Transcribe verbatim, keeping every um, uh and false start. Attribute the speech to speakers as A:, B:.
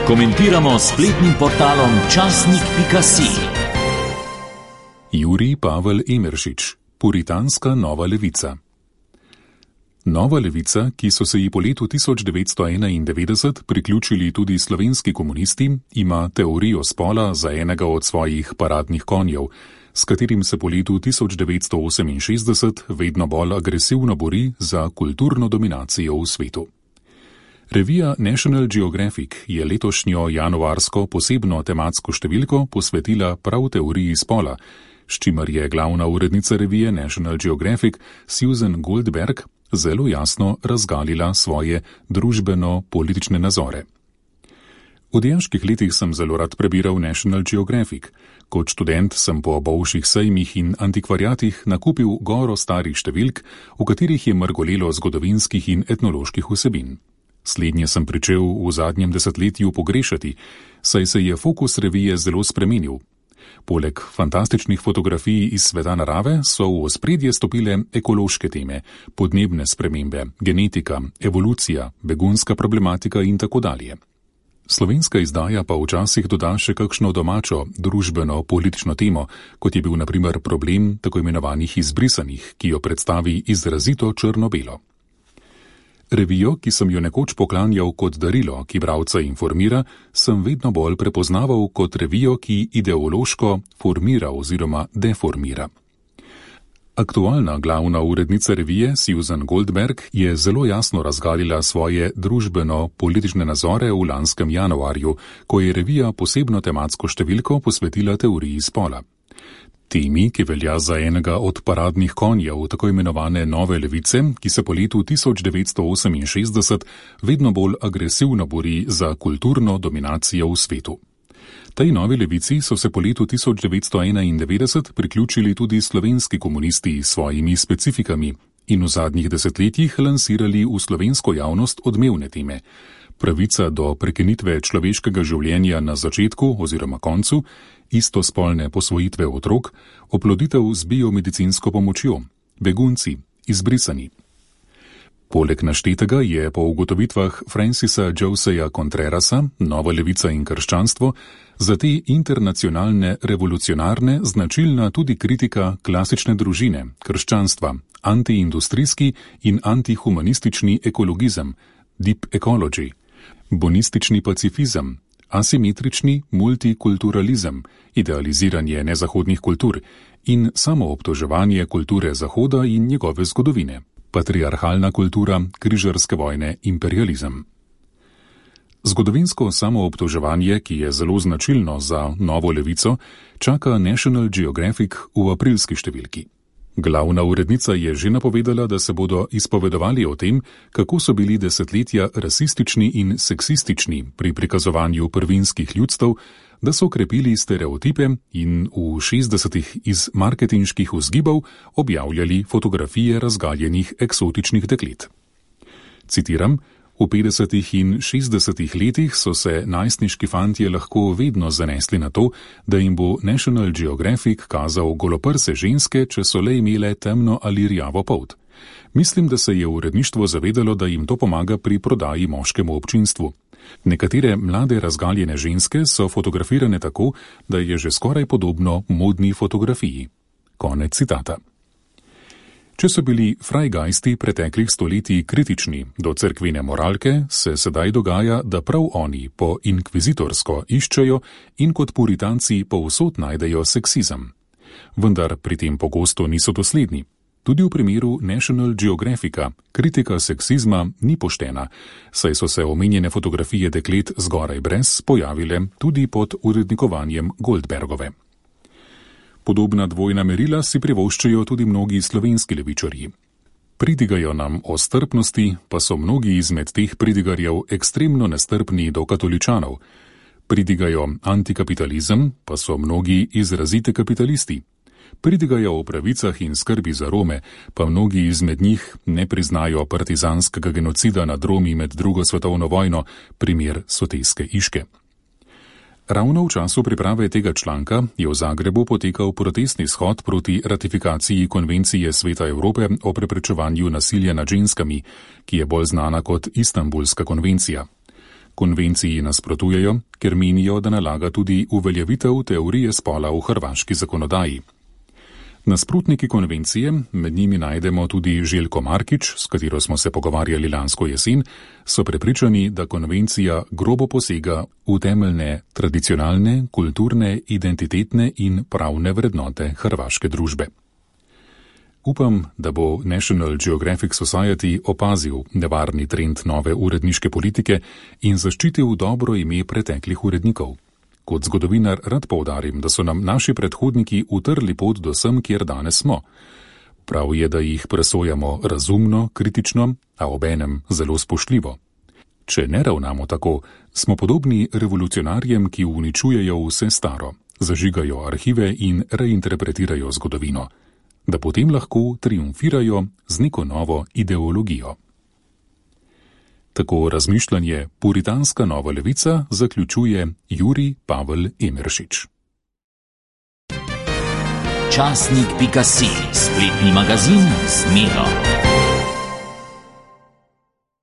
A: Komentiramo s spletnim portalom časnik pika si.
B: Jurij Pavel Emeršič, Puritanska nova levica. Nova levica, ki so se ji po letu tisoč devetsto enaindevetdeset priključili tudi slovenski komunisti, ima teorijo spola za enega od svojih paradnih konjev, s katerim se po letu tisoč devetsto oseminšestdeset vedno bolj agresivno bori za kulturno dominacijo v svetu. Revija National Geographic je letošnjo januarsko posebno tematsko številko posvetila prav teoriji spola, s čimer je glavna urednica revije National Geographic Susan Goldberg zelo jasno razgalila svoje družbeno-politične nazore. V dijaških letih sem zelo rad prebiral National Geographic. Kot študent sem po bolšjih sejmih in antikvariatih nakupil goro starih številk, v katerih je mrgolelo zgodovinskih in etnoloških vsebin. Slednje sem pričel v zadnjem desetletju pogrešati, saj se je fokus revije zelo spremenil. Poleg fantastičnih fotografij iz sveta narave so v ospredje stopile ekološke teme, podnebne spremembe, genetika, evolucija, begunska problematika in tako dalje. Slovenska izdaja pa včasih doda še kakšno domačo, družbeno-politično temo, kot je bil na primer problem tako imenovanih izbrisanih, ki jo predstavi izrazito črno-belo. Revijo, ki sem jo nekoč poklanjal kot darilo, ki bralca informira, sem vedno bolj prepoznaval kot revijo, ki ideološko formira oziroma deformira. Aktualna glavna urednica revije Susan Goldberg je zelo jasno razgalila svoje družbeno-politične nazore v lanskem januarju, ko je revija posebno tematsko številko posvetila teoriji spola. Temi, ki velja za enega od paradnih konjev tako imenovane nove levice, ki se po letu tisoč devetsto oseminšestdeset vedno bolj agresivno bori za kulturno dominacijo v svetu. Tej novi levici so se po letu tisoč devetsto enaindevetdeset priključili tudi slovenski komunisti s svojimi specifikami in v zadnjih desetletjih lansirali v slovensko javnost odmevne teme. Pravica do prekinitve človeškega življenja na začetku oziroma koncu, istospolne posvojitve otrok, oploditev z biomedicinsko pomočjo, begunci, izbrisani. Poleg naštetega je po ugotovitvah Francisa Joseja Contrerasa, Nova levica in krščanstvo, za te internacionalne revolucionarne značilna tudi kritika klasične družine, krščanstva, antiindustrijski in antihumanistični ekologizem, deep ecology, bonistični pacifizem, asimetrični multikulturalizem, idealiziranje nezahodnih kultur in samoobtoževanje kulture Zahoda in njegove zgodovine, patriarhalna kultura, križarske vojne, imperializem. Zgodovinsko samoobtoževanje, ki je zelo značilno za novo levico, čaka National Geographic v aprilski številki. Glavna urednica je že napovedala, da se bodo izpovedovali o tem, kako so bili desetletja rasistični in seksistični pri prikazovanju prvinskih ljudstev, da so krepili stereotipe in v šestdesetih iz marketinških vzgibov objavljali fotografije razgaljenih eksotičnih deklet. Citiram: V petdesetih in šestdesetih letih so se najstniški fantje lahko vedno zanesli na to, da jim bo National Geographic kazal goloprse ženske, če so le imele temno ali rjavo polt. Mislim, da se je uredništvo zavedalo, da jim to pomaga pri prodaji moškemu občinstvu. Nekatere mlade razgaljene ženske so fotografirane tako, da je že skoraj podobno modni fotografiji. Konec citata. Če so bili frajgajsti preteklih stoletij kritični do cerkvene moralke, se sedaj dogaja, da prav oni po inkvizitorsko iščejo in kot puritanci povsod najdejo seksizem. Vendar pri tem pogosto niso dosledni. Tudi v primeru National Geographica kritika seksizma ni poštena, saj so se omenjene fotografije deklet zgoraj brez pojavile tudi pod urednikovanjem Goldbergove. Podobna dvojna merila si privoščijo tudi mnogi slovenski levičarji. Pridigajo nam o strpnosti, pa so mnogi izmed teh pridigarjev ekstremno nestrpni do katoličanov. Pridigajo antikapitalizem, pa so mnogi izrazite kapitalisti. Pridigajo o pravicah in skrbi za Rome, pa mnogi izmed njih ne priznajo partizanskega genocida nad Romi med drugo svetovno vojno, primer Sotejske Iške. Ravno v času priprave tega članka je v Zagrebu potekal protestni shod proti ratifikaciji Konvencije Sveta Evrope o preprečevanju nasilja nad ženskami, ki je bolj znana kot Istanbulska konvencija. Konvenciji nasprotujejo, ker menijo, da nalaga tudi uveljavitev teorije spola v hrvaški zakonodaji. Nasprotniki konvencije, med njimi najdemo tudi Željko Markič, s katero smo se pogovarjali lansko jesen, so prepričani, da konvencija grobo posega v temeljne tradicionalne, kulturne, identitetne in pravne vrednote hrvaške družbe. Upam, da bo National Geographic Society opazil nevarni trend nove uredniške politike in zaščitil dobro ime preteklih urednikov. Kot zgodovinar rad poudarim, da so nam naši predhodniki utrli pot do sem, kjer danes smo. Prav je, da jih presojamo razumno, kritično, a obenem zelo spoštljivo. Če ne ravnamo tako, smo podobni revolucionarjem, ki uničujejo vse staro, zažigajo arhive in reinterpretirajo zgodovino, da potem lahko triumfirajo z neko novo ideologijo. Tako razmišljanje Puritanska nova levica zaključuje Jurij Pavel Emeršič.
A: Časnik pika si, spletni magazin z Miro.